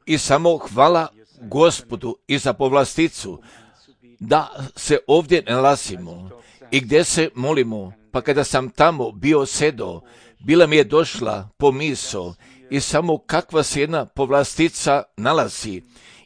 I samo hvala Gospodu i za povlasticu da se ovdje nalazimo i gdje se molimo. Pa kada sam tamo bio sedo, bila mi je došla pomisao i samo kakva se jedna povlastica nalazi.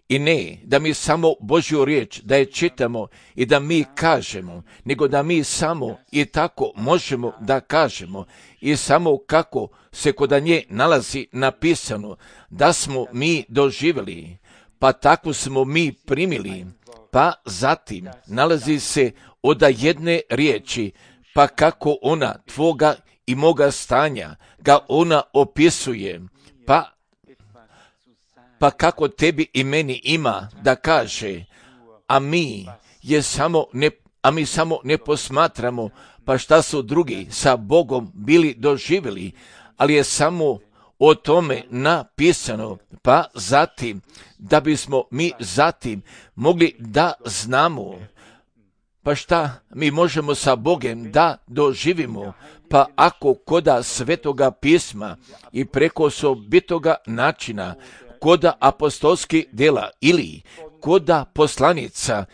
I ne da mi samo Božju riječ da je čitamo i da mi kažemo, nego da mi samo i tako možemo da kažemo i samo kako se kod nje nalazi napisano da smo mi doživjeli, pa tako smo mi primili, pa zatim nalazi se od jedne riječi, pa kako ona tvoga i moga stanja ga ona opisuje, pa kako tebi i meni ima da kaže, a mi samo ne posmatramo, pa šta su drugi sa Bogom bili doživjeli, ali je samo o tome napisano, pa zatim, da bismo mi zatim mogli da znamo, pa šta mi možemo sa Bogom da doživimo, pa ako koda Svetoga pisma i preko osobitoga načina, koda apostolskih djela ili koda poslanica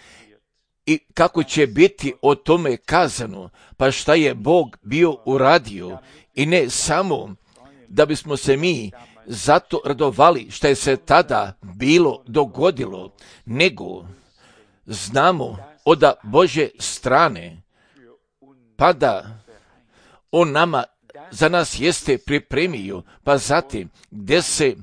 i kako će biti o tome kazano, pa šta je Bog bio uradio i ne samo da bismo se mi zato radovali šta je se tada bilo dogodilo, nego znamo od Božje strane, pa da on nama za nas jeste pripremio, pa zatim gdje se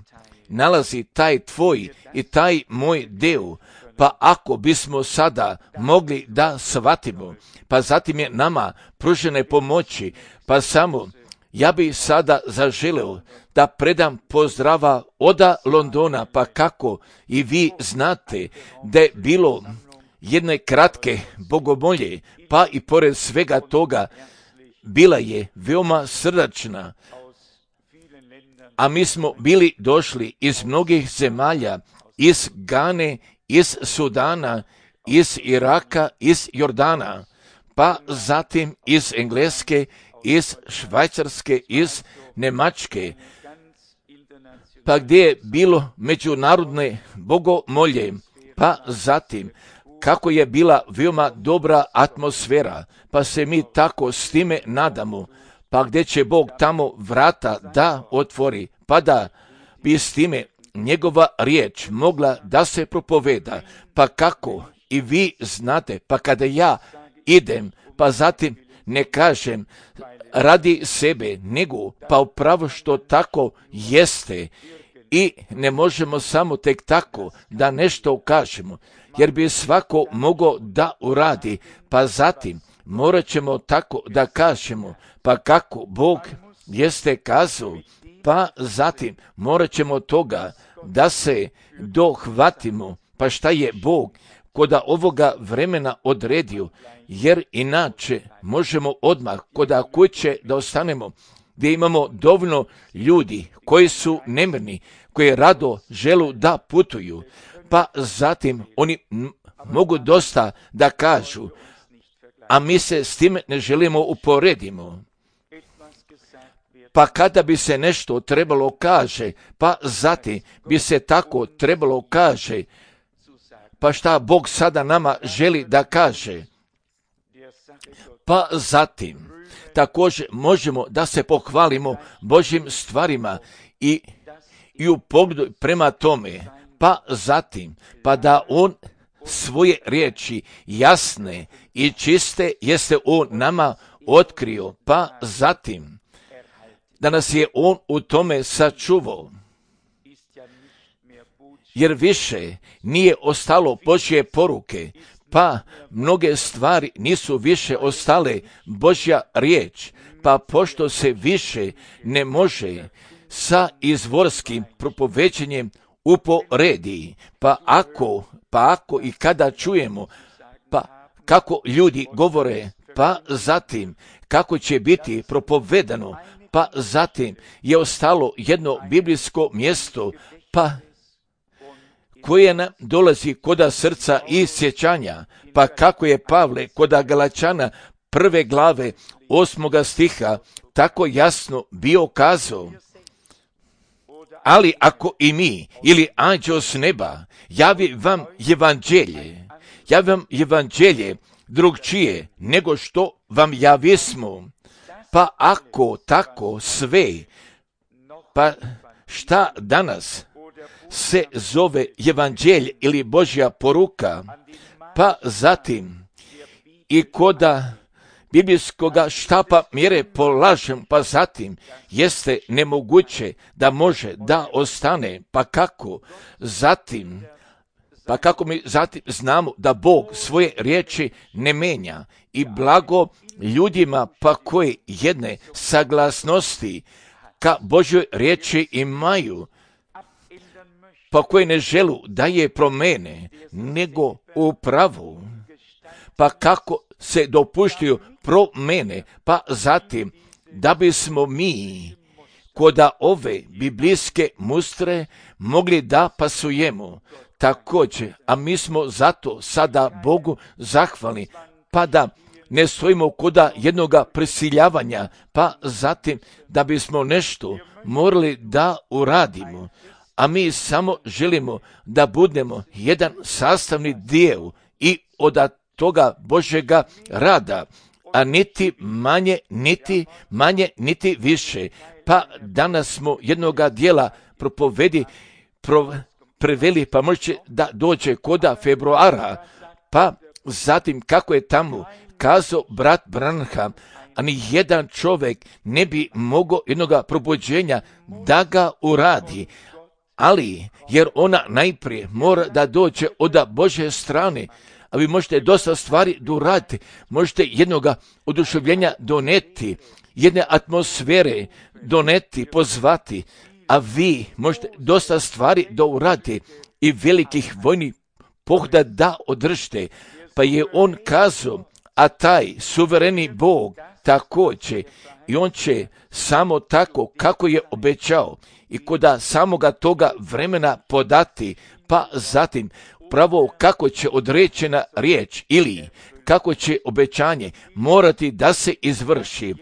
nalazi taj tvoj i taj moj deo, pa ako bismo sada mogli da shvatimo, pa zatim je nama pružene pomoći, pa samo ja bih sada zaželeo da predam pozdrava od Londona, pa kako i vi znate da je bilo jedne kratke bogomolje, pa i pored svega toga bila je veoma srdačna, a mi smo bili došli iz mnogih zemalja, iz Gane, iz Sudana, iz Iraka, iz Jordana, pa zatim iz Engleske, iz Švajcarske, iz Njemačke, pa gdje je bilo međunarodne bogomolje, pa zatim kako je bila veoma dobra atmosfera, pa se mi tako s time nadamo, pa gdje će Bog tamo vrata da otvori, pa da bi s time njegova riječ mogla da se propoveda, pa kako i vi znate, pa kada ja idem, pa zatim ne kažem radi sebe, nego pa upravo što tako jeste i ne možemo samo tek tako da nešto kažemo, jer bi svako mogao da uradi, pa zatim morat ćemo tako da kažemo, pa kako Bog jeste kazao, pa zatim morat ćemo toga da se dohvatimo, pa šta je Bog koda ovoga vremena odredio, jer inače možemo odmah koda kuće da ostanemo, gdje imamo dovoljno ljudi koji su nemirni, koji rado želu da putuju, pa zatim oni mogu dosta da kažu, a mi se s tim ne želimo uporedimo. Pa kada bi se nešto trebalo kaže, pa zatim bi se tako trebalo kaže, pa šta Bog sada nama želi da kaže. Pa zatim također možemo da se pohvalimo Božjim stvarima i u pogledu prema tome, pa zatim, pa da on svoje riječi jasne i čiste jeste on nama otkrio, pa zatim da nas je on u tome sačuvao. Jer više nije ostalo Božje poruke, pa mnoge stvari nisu više ostale Božja riječ, pa pošto se više ne može sa izvorskim propoveđenjem uporedi, pa ako i kada čujemo, pa kako ljudi govore, pa zatim kako će biti propovedano, pa zatim je ostalo jedno biblijsko mjesto, pa koje nam dolazi koda srca i sjećanja, pa kako je Pavle koda Galačana 1. glave 8. stiha tako jasno bio kazao. Ali ako i mi ili anđeo s neba javi vam evanđelje drugčije nego što vam javismo, pa ako tako sve, pa šta danas se zove evanđelje ili Božja poruka, pa zatim i koda biblijskoga štapa mjere polažem, pa zatim jeste nemoguće da može da ostane, pa kako mi zatim znamo da Bog svoje riječi ne menja i blago ljudima pa koji jedne saglasnosti ka Božjoj riječi imaju, pa koji ne želu da je promene, nego upravo, pa kako se dopuštaju promene, pa zatim da bismo mi koda ove biblijske mustre mogli da pasujemo također, a mi smo zato sada Bogu zahvalni, pa da ne stojimo koda jednoga prisiljavanja, pa zatim da bismo nešto morali da uradimo, a mi samo želimo da budemo jedan sastavni dio i od toga Božjega rada, a niti manje, niti više. Pa danas smo jednoga dijela preveli, pa može da dođe koda februara, pa zatim kako je tamo kazao brat Branham, a ni jedan čovjek ne bi mogao jednoga probuđenja da ga uradi, ali jer ona najprije mora da dođe od Božje strane, a vi možete dosta stvari doraditi, možete jednoga oduševljenja doneti, jedne atmosfere doneti, pozvati, a vi možete dosta stvari uraditi i velikih vojnih pohoda da održite. Pa je on kazao, a taj suvereni Bog također, i on će samo tako kako je obećao i koda samoga toga vremena podati, pa zatim pravo kako će određena riječ ili kako će obećanje morati da se izvrši.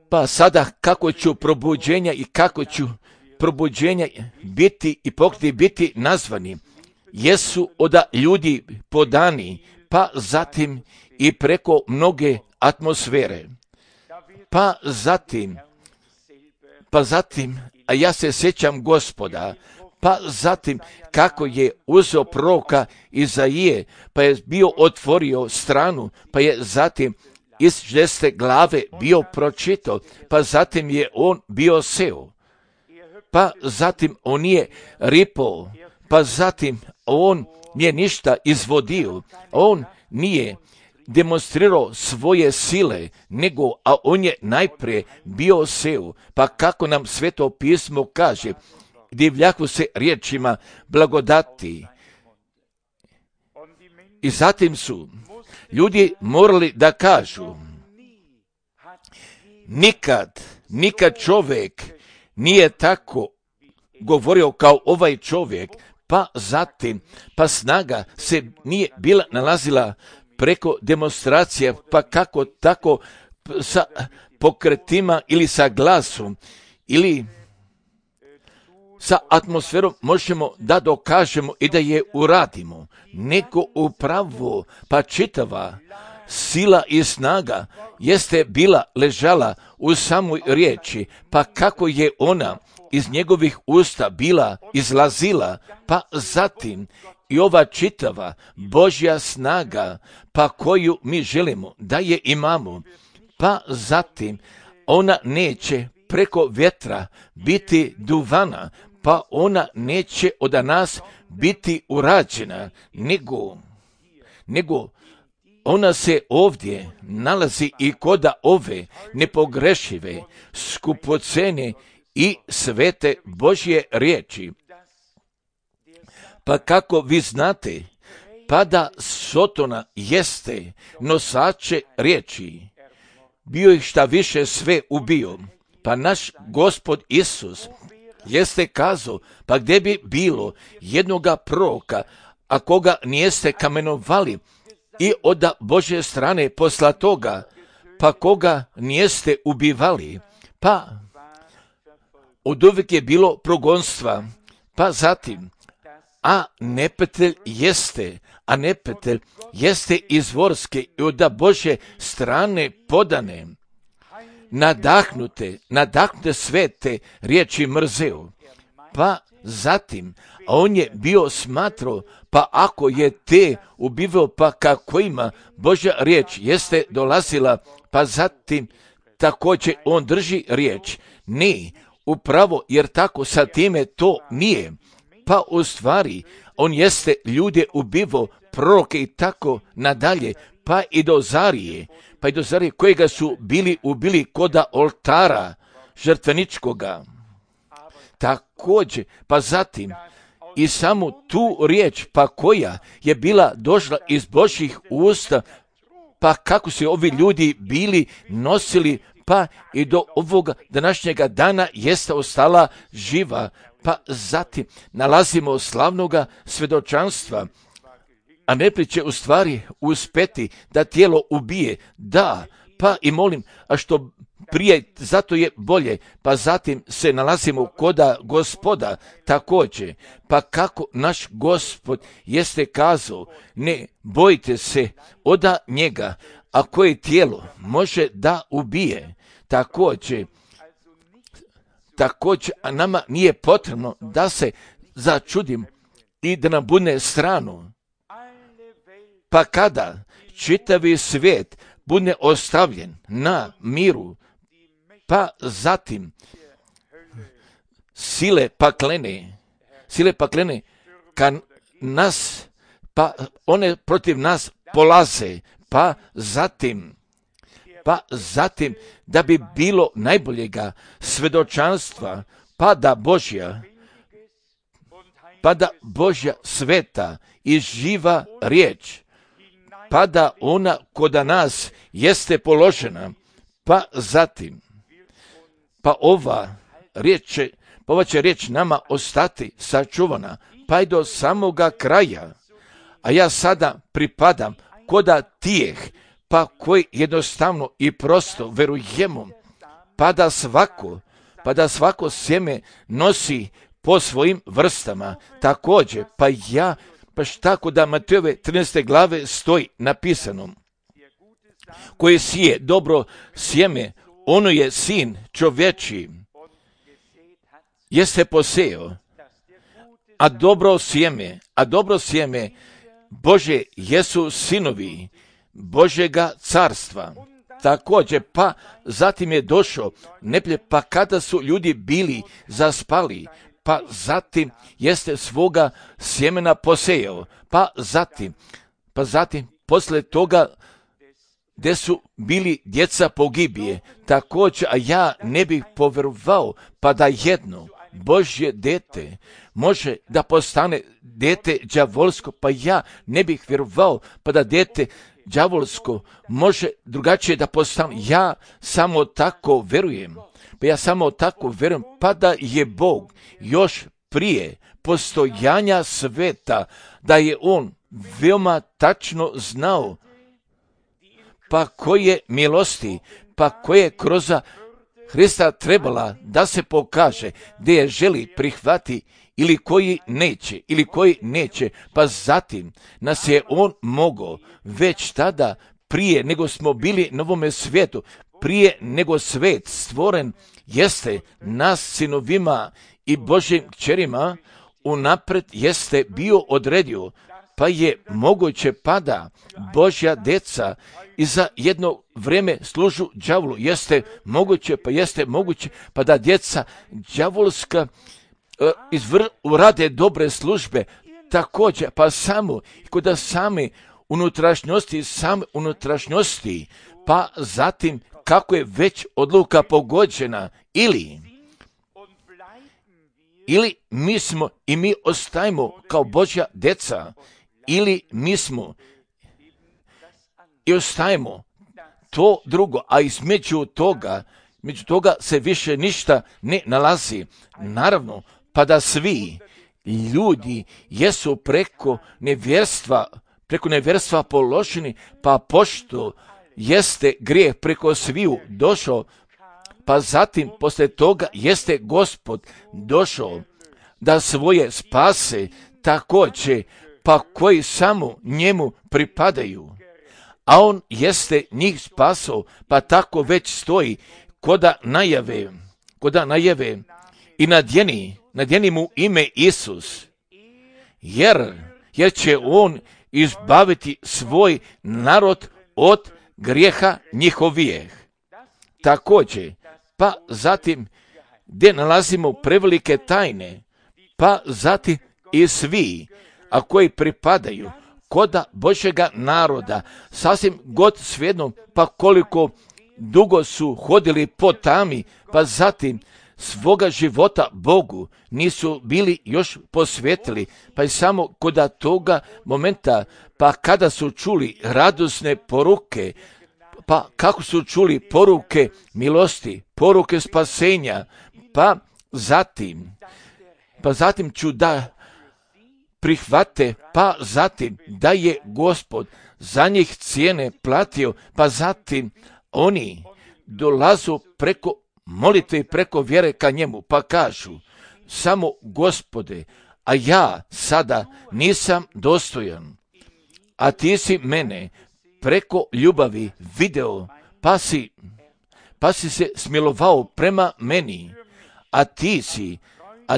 Pa sada kako ću probuđenja i kako ću probuđenja biti i pokriti biti nazvani, jesu od ljudi podani, pa zatim i preko mnoge atmosfere. Pa zatim, a ja se sjećam Gospoda, pa zatim kako je uzeo proroka Izaije, pa je bio otvorio stranu, pa je zatim iz 6. glave bio pročitao, pa zatim je on bio seo, pa zatim on nije ripao, pa zatim on nije ništa izvodio, on nije demonstrirao svoje sile, a on je najprije bio seo, pa kako nam Sveto pismo kaže, divljaku se riječima blagodati. I zatim su ljudi morali da kažu, nikad čovjek nije tako govorio kao ovaj čovjek, pa zatim, pa snaga se nije bila nalazila preko demonstracije, pa kako tako sa pokretima ili sa glasom ili sa atmosferom možemo da dokažemo i da je uradimo, nego upravo pa čitava sila i snaga jeste bila ležala u samoj riječi, pa kako je ona iz njegovih usta bila izlazila, pa zatim i ova čitava Božja snaga, pa koju mi želimo da je imamo, pa zatim ona neće preko vjetra biti duvana, pa ona neće od nas biti urađena, nego ona se ovdje nalazi i koda ove nepogrešive, skupocene i svete Božje riječi. Pa kako vi znate, pa da Sotona jeste nosače riječi, bio ih šta više sve ubio, pa naš Gospod Isus jeste kazao, pa gdje bi bilo jednoga proroka, a koga nijeste kamenovali i od Božje strane poslatoga, pa koga nijeste ubivali, pa od uvijek je bilo progonstva, pa zatim, a neprijatelj jeste izvorske i od Božje strane podane, nadahnute svete riječi mrzeo. Pa zatim, a on je bio smatrao, pa ako je te ubivao, pa kako ima Božja riječ jeste dolazila, pa zatim također on drži riječ. Ne, upravo jer tako sa time to nije. Pa u stvari on jeste ljude ubivao, proroke i tako nadalje, pa i do Zarije kojega su bili ubili koda oltara žrtveničkoga. Također, pa zatim i samu tu riječ, pa koja je bila došla iz Božjih usta, pa kako se ovi ljudi bili nosili, pa i do ovoga današnjega dana jeste ostala živa. Pa zatim nalazimo slavnoga svjedočanstva, a neprijatelj će u stvari uspeti da tijelo ubije. Da, pa i molim, a što prije, zato je bolje. Pa zatim se nalazimo koda Gospoda također. Pa kako naš Gospod jeste kazao, ne bojte se oda njega, a koje tijelo može da ubije. Također, a nama nije potrebno da se začudim i da nam bude strano. Pa kada čitavi svijet bude ostavljen na miru, pa zatim sile paklene kad nas, pa one protiv nas polaze, pa zatim da bi bilo najboljega svjedočanstva, pa da Božja sveta i živa riječ, pa da ona koda nas jeste položena, pa zatim, pa ova će riječ nama ostati sačuvana, pa i do samoga kraja. A ja sada pripadam koda tijeh, pa koji jednostavno i prosto verujemo, pa da svako sjeme nosi po svojim vrstama. Također, baš tako da Matejove 13. glave stoji napisano, koji sije dobro sjeme, ono je sin čovječiji, jeste poseo, a dobro sjeme Bože jesu sinovi Božjega carstva. Također, pa zatim je došao neprijatelj, pa kada su ljudi bili zaspali, pa zatim jeste svoga sjemena posejao, pa zatim poslije toga gdje su bili djeca pogibije. Također, a ja ne bih povjerovao, pa da jedno Božje dete može da postane dete đavolsko, pa ja ne bih vjerovao, pa da dete đavolsko može drugačije da postane. Ja samo tako vjerujem, pa da je Bog još prije postojanja sveta, da je on veoma tačno znao, pa koje milosti, pa koje kroz Hrista trebala da se pokaže, gdje je želi prihvati ili koji neće, pa zatim nas je on mogao već tada, prije nego smo bili na ovome svijetu, prije nego svijet stvoren, jeste nas sinovima i Božjim kćerima unapred jeste bio odredio, pa je moguće pada Božja deca i za jedno vrijeme služu đavolu. Jeste moguće, pa da djeca đavolska urade dobre službe. Također, pa samo kod same unutrašnjosti, pa zatim kako je već odluka pogođena, ili mi smo i mi ostajemo kao Božja deca, ili mi smo i ostajemo to drugo, a između toga se više ništa ne nalazi. Naravno, pa da svi ljudi jesu preko nevjerstva položeni, pa pošto jeste grijeh preko sviju došao, pa zatim poslije toga jeste Gospod došao da svoje spase također, pa koji samo njemu pripadaju. A on jeste njih spasao, pa tako već stoji koda najave i nadjeni mu ime Isus, jer će on izbaviti svoj narod od grijeha njihovijeh. Također, pa zatim gdje nalazimo prevelike tajne, pa zatim i svi, a koji pripadaju koda Božjega naroda, sasvim god svejedno, pa koliko dugo su hodili po tami, pa zatim svoga života Bogu nisu bili još posvetili, pa i samo koda toga momenta, pa kada su čuli radosne poruke, pa kako su čuli poruke milosti, poruke spasenja, pa zatim ću da prihvate, pa zatim da je Gospod za njih cijene platio, pa zatim oni dolazu preko molitve i preko vjere ka njemu, pa kažu, samo Gospode, a ja sada nisam dostojan, a ti si mene preko ljubavi video, pa si se smilovao prema meni, a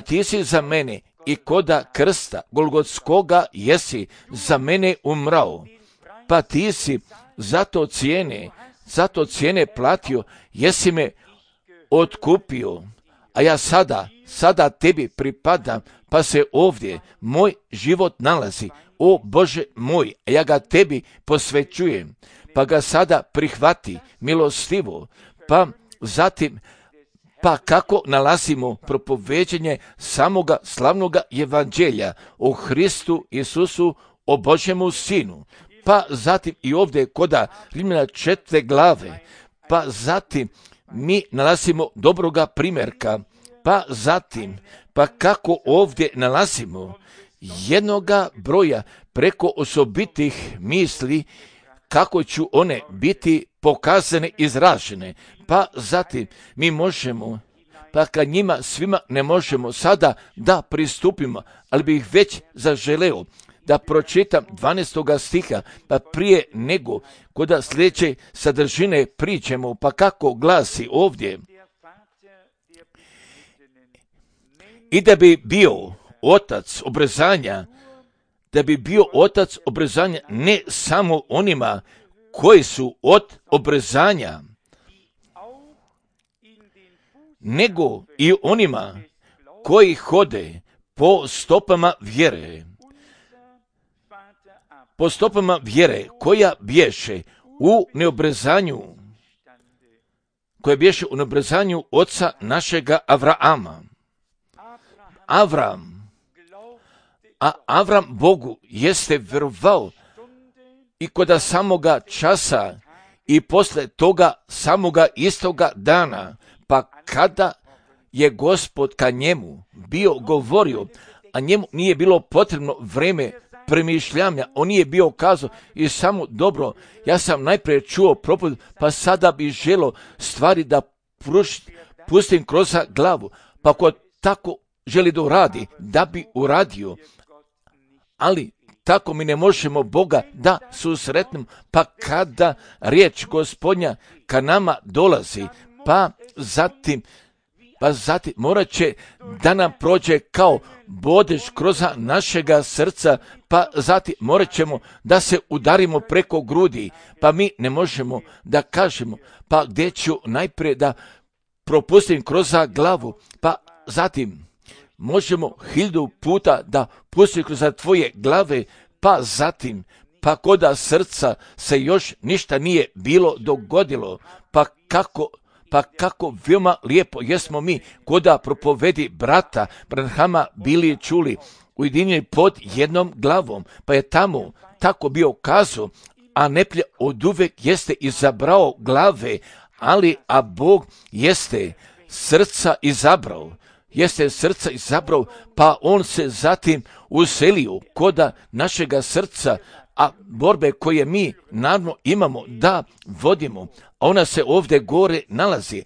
ti si za mene i koda krsta Golgotskoga jesi za mene umrao, pa ti si zato cijene platio, jesi me otkupio, a ja sada tebi pripadam, pa se ovdje moj život nalazi, o Bože moj, a ja ga tebi posvećujem, pa ga sada prihvati milostivo, pa zatim, pa kako nalazimo propoveđenje samoga slavnoga evanđelja o Hristu Isusu, o Božjemu Sinu, pa zatim i ovdje koda Rimljana 4. glave, pa zatim mi nalazimo dobroga primjerka, pa zatim, pa kako ovdje nalazimo jednoga broja preko osobitih misli, kako ću one biti pokazane, izražene, pa zatim mi možemo, pa kad njima svima ne možemo sada da pristupimo, ali bih već zaželeo da pročitam 12. stiha, pa prije nego koda sljedeće sadržine priđemo, pa kako glasi ovdje. I da bi bio otac obrezanja, ne samo onima koji su od obrezanja, nego i onima koji hode po stopama vjere, koja bješe u neobrezanju oca našega Avraama. Avram Bogu jeste vjerovao i koda samoga časa i posle toga samoga istoga dana, pa kada je Gospod ka njemu bio govorio, a njemu nije bilo potrebno vreme premišljanja, on nije bio kazao i samo dobro, ja sam najprije čuo propovijed, pa sada bi želo stvari da pustim kroz glavu, pa ko tako želi da uradi, da bi uradio, ali tako mi ne možemo Boga da susretnemo, pa kada riječ Gospodnja ka nama dolazi, pa zatim morat će da nam prođe kao bodež kroz našega srca, pa zatim morat ćemo da se udarimo preko grudi, pa mi ne možemo da kažemo, pa gdje ću najprije da propustim kroz glavu, pa zatim možemo 1000 puta da pustim kroz tvoje glave, pa zatim, pa koda srca se još ništa nije bilo dogodilo, pa kako veoma lijepo jesmo mi koda propovedi brata Branhama bili čuli, ujedinjeni pod jednom glavom, pa je tamo tako bio kazao, a neplje od uvek jeste izabrao glave, a Bog jeste srca izabrao, pa on se zatim uselio koda našega srca, a borbe koje mi naravno imamo da vodimo, ona se ovdje gore nalazi,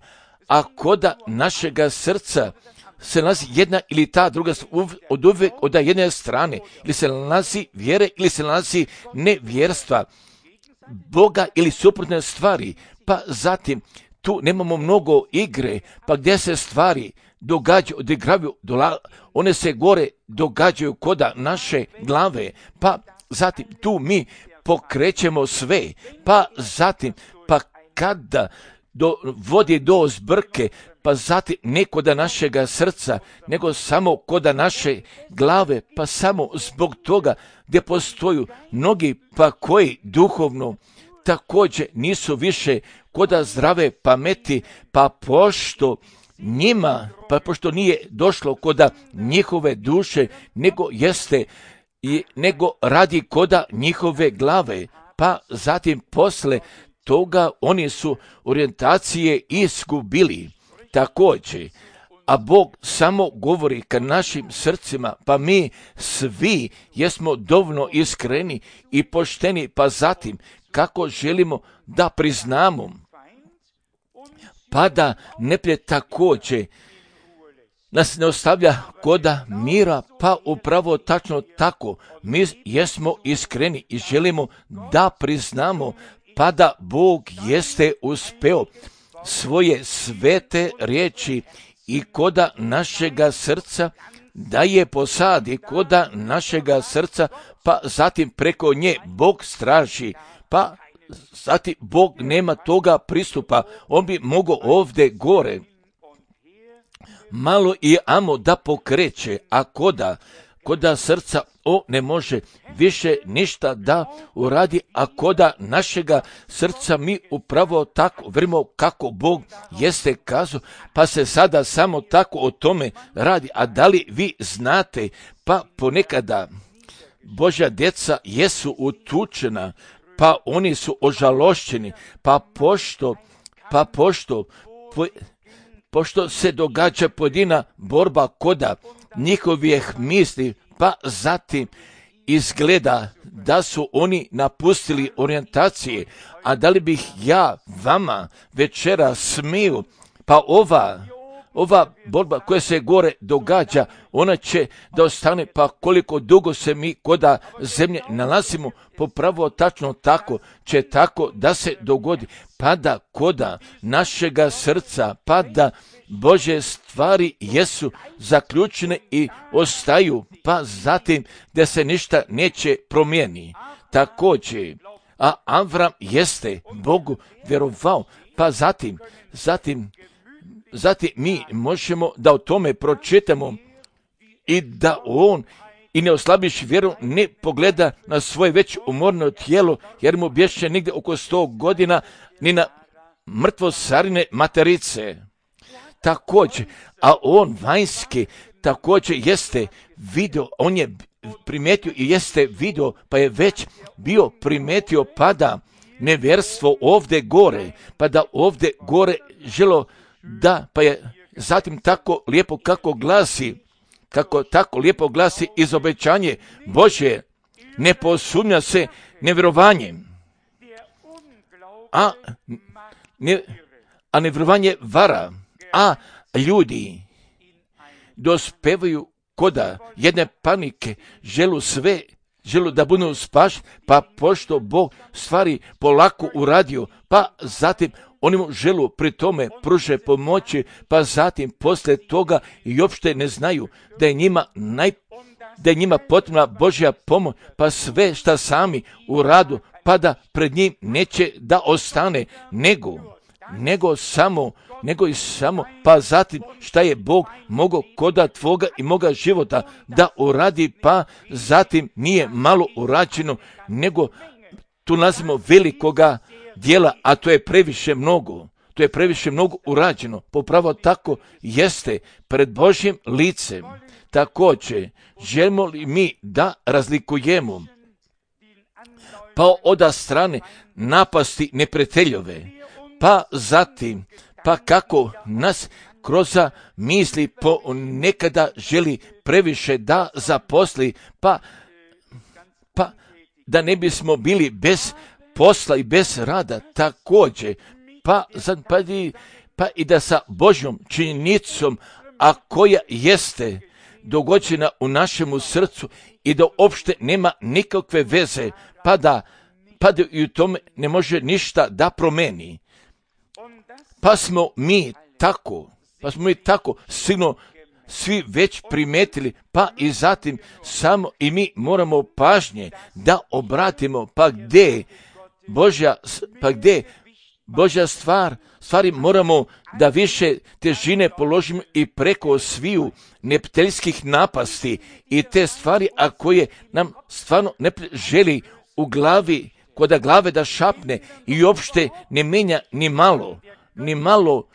a koda našega srca se nalazi jedna ili ta druga od uvijek od jedne strane, ili se nalazi vjere ili se nalazi nevjerstva, Boga ili suprotne stvari, pa zatim tu nemamo mnogo igre, pa gdje se stvari događaju, odigravaju, one se gore događaju koda naše glave, pa zatim tu mi pokrećemo sve, pa zatim, pa kada vodi do zbrke, pa zatim ne koda našega srca, nego samo koda naše glave, pa samo zbog toga gdje postoju mnogi pa koji duhovno također nisu više koda zdrave pameti, pa pošto nije došlo koda njihove duše, nego radi koda njihove glave, pa zatim posle toga oni su orijentacije izgubili također. A Bog samo govori ka našim srcima, pa mi svi jesmo dovoljno iskreni i pošteni, pa zatim kako želimo da priznamo, pa da neprijatelj također nas ne ostavlja koda mira, pa upravo tačno tako mi jesmo iskreni i želimo da priznamo, pa da Bog jeste uspeo svoje svete riječi i koda našega srca da je posadi koda našega srca, pa zatim preko nje Bog straži, pa zatim Bog nema toga pristupa, on bi mogao ovdje gore malo i amo da pokreće, a koda srca ne može više ništa da uradi, a koda našega srca mi upravo tako vrimo kako Bog jeste kazao, pa se sada samo tako o tome radi. A da li vi znate, pa ponekada Božja djeca jesu utučena, pa oni su ožalošćeni, pošto se događa pojedina borba koda njihovih misli, pa zatim izgleda da su oni napustili orijentacije. A da li bih ja vama večera smio, pa ova borba koja se gore događa, ona će da ostane, pa koliko dugo se mi koda zemlje nalazimo, popravo tačno tako će tako da se dogodi, pa da koda našega srca, pa da Božje stvari jesu zaključene i ostaju, pa zatim da se ništa neće promijeni. Također, a Avram jeste Bogu vjerovao, pa zatim mi možemo da o tome pročitamo i da on i ne oslabiš vjeru, ne pogleda na svoje već umorno tijelo, jer mu bješe negdje oko 100 godina ni na mrtvo sarine materice. Također, a on vanjski također jeste vidio, on je primijetio i jeste vidio, pa je već bio primijetio, pa da nevjerstvo ovdje gore, pa da ovdje gore želo da, pa je zatim tako lijepo kako tako lijepo glasi izobećanje Božje, ne posumnja se nevjerovanjem, a nevjerovanje vara, a ljudi dospevaju koda jedne panike, želu da budu spašeni, pa pošto Bog stvari polako uradio, pa zatim oni mu želu pri tome pruže pomoći, pa zatim poslije toga i uopšte ne znaju da je njima potrebna Božja pomoć, pa sve šta sami uradu, pa da pred njim neće da ostane, nego i samo, pa zatim šta je Bog mogao koda tvoga i moga života da uradi, pa zatim nije malo urađeno, nego tu nalazimo velikoga dijela, a to je previše mnogo urađeno, popravo tako jeste pred Božjim licem. Također, želimo li mi da razlikujemo, pa od strane napasti neprijateljove, pa zatim, pa kako nas kroz misli nekada želi previše da zaposli, pa da ne bismo pa i da sa Božjom činjenicom, a koja jeste dogođena u našemu srcu i da uopšte nema nikakve veze, pa da i u tome ne može ništa da promeni. Pa smo mi tako sigurno svi već primetili, pa i zatim samo i mi moramo pažnje da obratimo, pa gdje Božja stvari moramo da više težine položimo i preko sviju neprijateljskih napasti i te stvari, a koje nam stvarno ne želi u glavi, kod glave da šapne i uopšte ne menja ni malo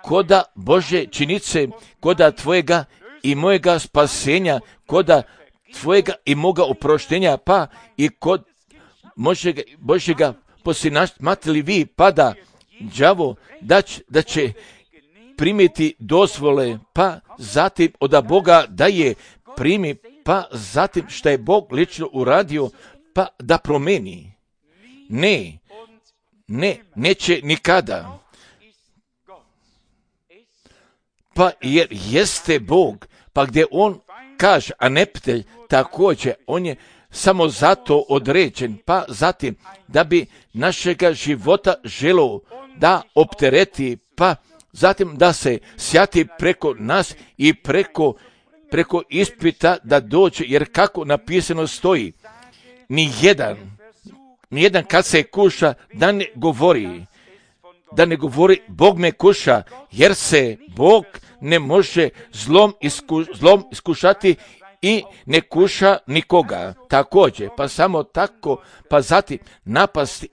koda Božje činice, koda tvojega i mojega spasenja, koda tvojega i moga oproštenja, pa i kod Božjega posinamatili vi, pa da đavo da će primiti dozvole, pa zatim od Boga da je primi, pa zatim što je Bog lično uradio, pa da promeni. Neće nikada. Pa jer jeste Bog, pa gdje on kaže, a neprijatelj također, on je samo zato određen, pa zatim da bi našega života želio da optereti, pa zatim da se sjati preko nas i preko ispita da dođe, jer kako napisano stoji, nijedan kad se kuša da ne govori Bog me kuša, jer se Bog ne može zlom iskušati i ne kuša nikoga. Također, pa samo tako, pa zatim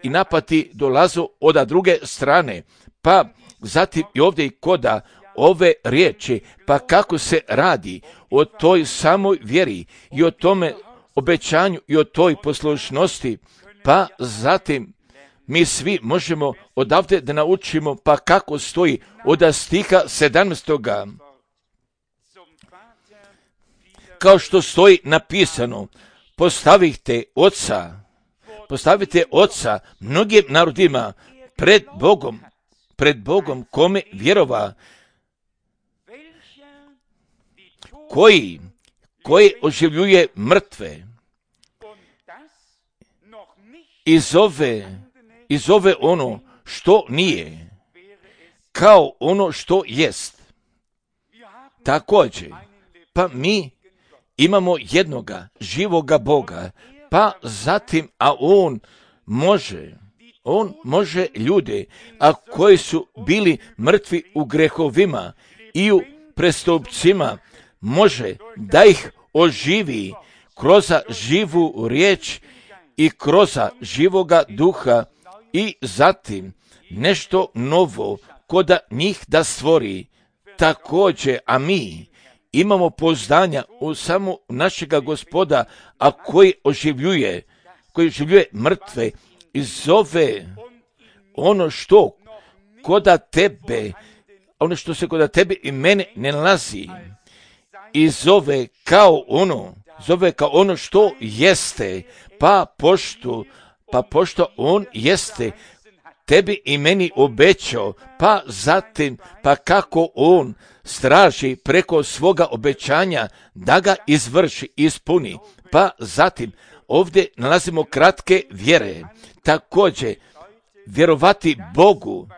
napati dolazu od druge strane, pa zatim i ovdje i koda ove riječi, pa kako se radi o toj samoj vjeri i o tome obećanju i o toj poslušnosti, pa zatim mi svi možemo odavde da naučimo, pa kako stoji od stiha 17. Kao što stoji napisano, postavite oca mnogim narodima pred Bogom kome vjerova, koji oživljuje mrtve i zove ono što nije kao ono što jest. Također, pa mi imamo jednoga živoga Boga, pa zatim, a on može ljude, a koji su bili mrtvi u grehovima i u prestupcima, može da ih oživi kroz živu riječ i kroz živoga duha i zatim nešto novo koda njih da stvori. Također, a mi imamo pouzdanja u samo našega Gospoda, a koji oživljuje mrtve i zove ono što se koda tebe i mene ne nalazi i zove kao ono što jeste, pa pošto on jeste tebi i meni obećao, pa zatim, pa kako on straži preko svoga obećanja da ga izvrši, ispuni, pa zatim ovdje nalazimo kratke vjere. Također, vjerovati Bogu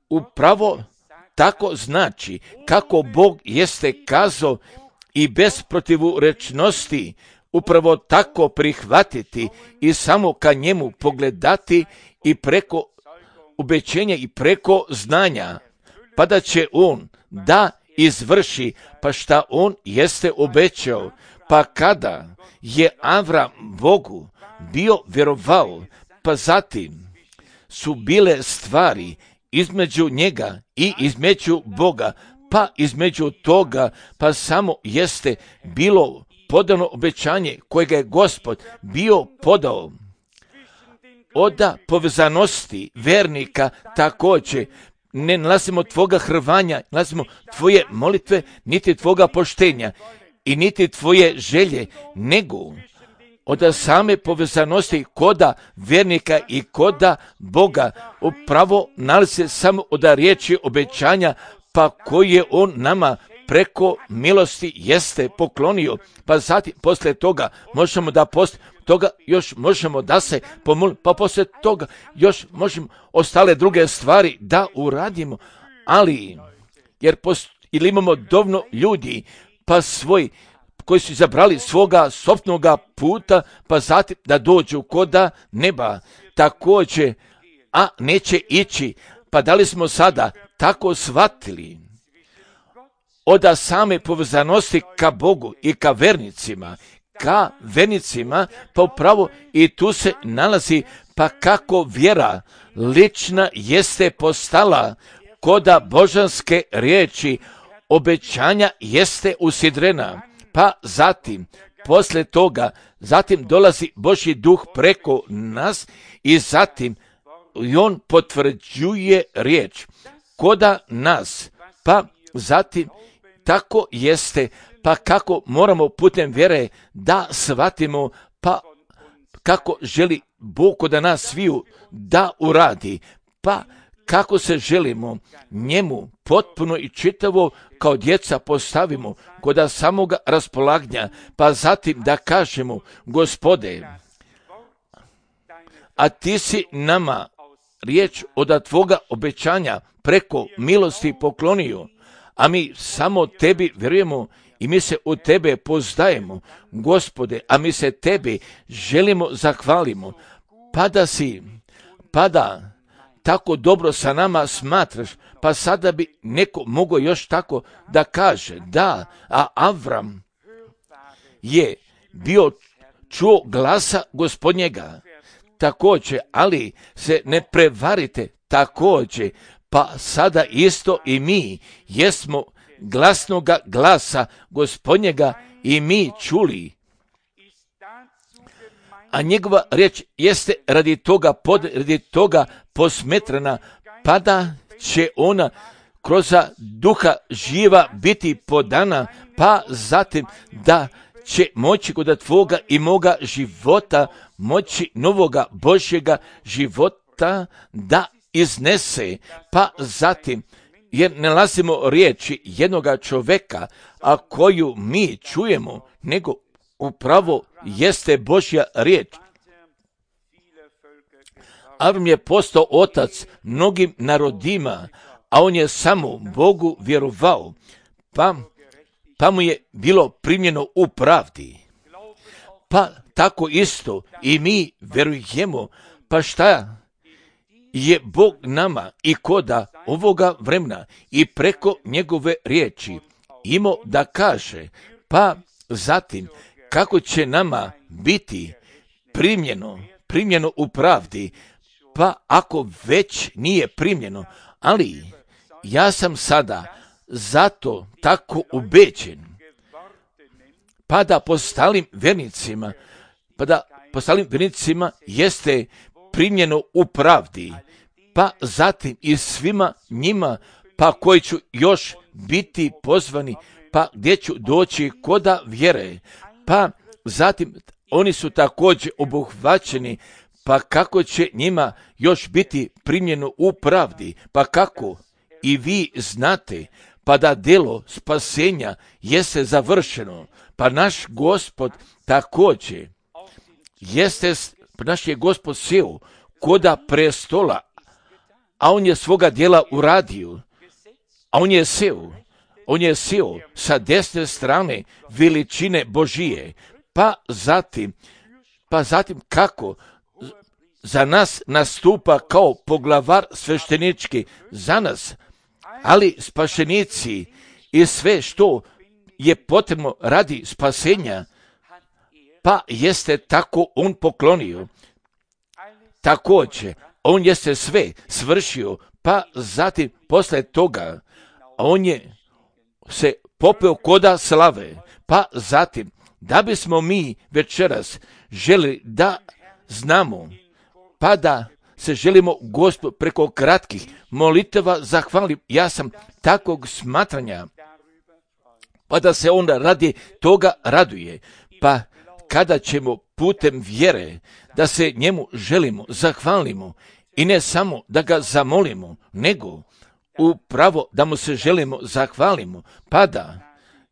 upravo tako znači kako Bog jeste kazao i bez protivurečnosti upravo tako prihvatiti i samo ka njemu pogledati i preko obećenja i preko znanja, pa da će on da izvrši pa šta on jeste obećao. Pa kada je Avram Bogu bio vjerovao, pa zatim su bile stvari između njega i između Boga, pa između toga pa samo jeste bilo podano obećanje kojega je Gospod bio podao. Od povezanosti vernika također ne nalazimo tvoga hrvanja, nalazimo tvoje molitve, niti tvoga poštenja i niti tvoje želje, nego od same povezanosti koda vjernika i koda Boga upravo nalazi samo od riječi obećanja, pa koje on nama preko milosti jeste poklonio, pa zatim poslije toga možemo da toga još možemo da se pomolimo, pa poslije toga još možemo ostale druge stvari da uradimo, ali jer ili imamo dovoljno ljudi, pa koji su izabrali svoga sopnoga puta, pa zatim da dođu koda neba, također, a neće ići, pa da li smo sada tako shvatili od same povezanosti ka Bogu i ka vernicima, pa upravo i tu se nalazi, pa kako vjera lična jeste postala koda božanske riječi, obećanja jeste usidrena, pa zatim, poslije toga, zatim dolazi Božji duh preko nas i zatim i on potvrđuje riječ koda nas, pa zatim tako jeste, pa kako moramo putem vjere da shvatimo, pa kako želi Bog koda nas sviju da uradi, pa kako se želimo njemu potpuno i čitavo kao djeca postavimo koda samoga raspolaganja, pa zatim da kažemo, Gospode, a ti si nama riječ od tvoga obećanja preko milosti poklonio, a mi samo tebi vjerujemo i mi se u tebe pozdajemo, Gospode, a mi se tebi želimo zahvalimo, pa da tako dobro sa nama smatraš, pa sada bi neko mogao još tako da kaže, da, a Avram je bio čuo glasa Gospodnjega, također, ali se ne prevarite, također, pa sada isto i mi jesmo glasnoga glasa Gospodnjega i mi čuli, a njegova riječ jeste radi toga posmetrana, pa da će ona kroz duha živa biti podana, pa zatim da će moći kod tvoga i moga života, moći novoga Božjega života da iznese, pa zatim, jer ne nalazimo riječi jednoga čovjeka, a koju mi čujemo, nego upravo jeste Božja riječ. Avram je postao otac mnogim narodima, a on je samo Bogu vjerovao, pa mu je bilo primljeno u pravdi. Pa tako isto i mi vjerujemo, pa šta je Bog nama i koda ovoga vremena i preko njegove riječi imao da kaže, pa zatim kako će nama biti primljeno u pravdi, pa ako već nije primljeno, ali ja sam sada zato tako ubeđen, pa da postalim vernicima jeste primljeno u pravdi, pa zatim i svima njima, pa koji ću još biti pozvani, pa gdje ću doći koda vjere, pa zatim oni su također obuhvaćeni, pa kako će njima još biti primljeno u pravdi, pa kako i vi znate, pa da djelo spasenja jeste završeno, pa naš Gospod također naš je Gospod sjeo koda prestola, a on je svoga djela uradio, a on je sjeo sa desne strane veličine Božije, pa zatim kako za nas nastupa kao poglavar sveštenički za nas, ali spašenici i sve što je potrebno radi spasenja, pa jeste tako on poklonio. Također, on jeste sve svršio, pa zatim posle toga on je se popeo koda slave, pa zatim da bismo mi večeras želi da znamo, pa da se želimo Gospod preko kratkih molitava zahvalim, ja sam takvog smatranja, pa da se onda radi toga raduje, pa kada ćemo putem vjere, da se njemu želimo, zahvalimo i ne samo da ga zamolimo, nego upravo da mu se želimo, zahvalimo, pa da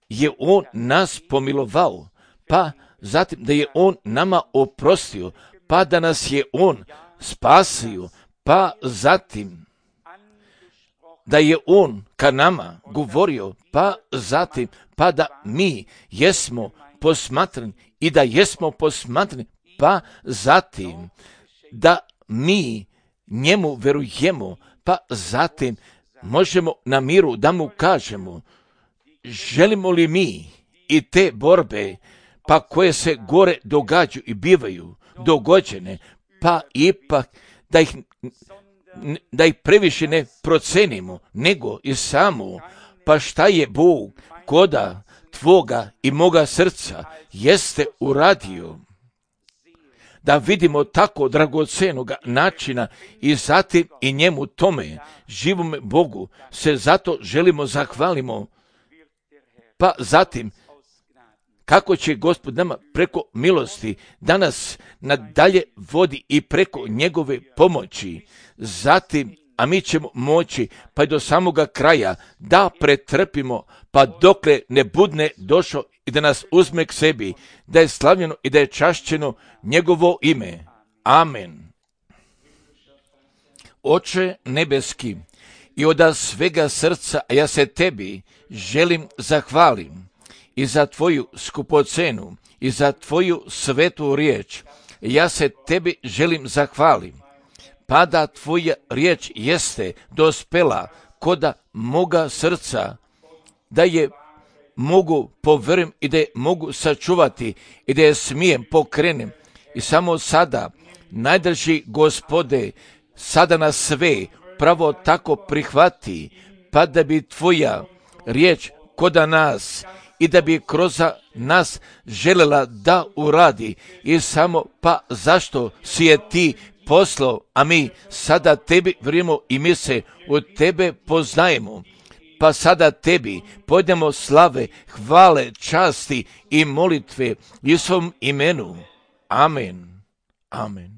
je on nas pomilovao, pa zatim da je on nama oprostio, pa da nas je on spasio, pa zatim da je on ka nama govorio, pa zatim pa da mi jesmo posmatrani i da jesmo posmatrani, pa zatim da mi njemu verujemo, pa zatim možemo na miru da mu kažemo, želimo li mi i te borbe, pa koje se gore događaju i bivaju dogođene, pa ipak da ih previše ne procenimo, nego i samo, pa šta je Bog koda tvoga i moga srca jeste uradio, da vidimo tako dragocenog načina i zatim i njemu tome, živome Bogu, se zato želimo zahvalimo, pa zatim kako će Gospod nama preko milosti danas nadalje vodi i preko njegove pomoći, zatim, a mi ćemo moći pa i do samoga kraja da pretrpimo, pa dokle ne budne došao i da nas uzme k sebi, da je slavljeno i da je čašćeno njegovo ime. Amen. Oče nebeski, i od svega srca ja se tebi želim zahvalim i za tvoju skupocenu i za tvoju svetu riječ. Ja se tebi želim zahvalim, pa da tvoja riječ jeste dospela koda moga srca, da je mogu povjerujem i da je mogu sačuvati i da je smijem pokrenem. I samo sada, najdraži Gospode, sada nas sve pravo tako prihvati, pa da bi tvoja riječ koda nas i da bi kroz nas željela da uradi. I samo pa zašto si je ti poslao, a mi sada tebi vjerujemo i mi se od tebe poznajemo. Pa sada tebi pojdemo slave, hvale, časti i molitve u svom imenu. Amen. Amen.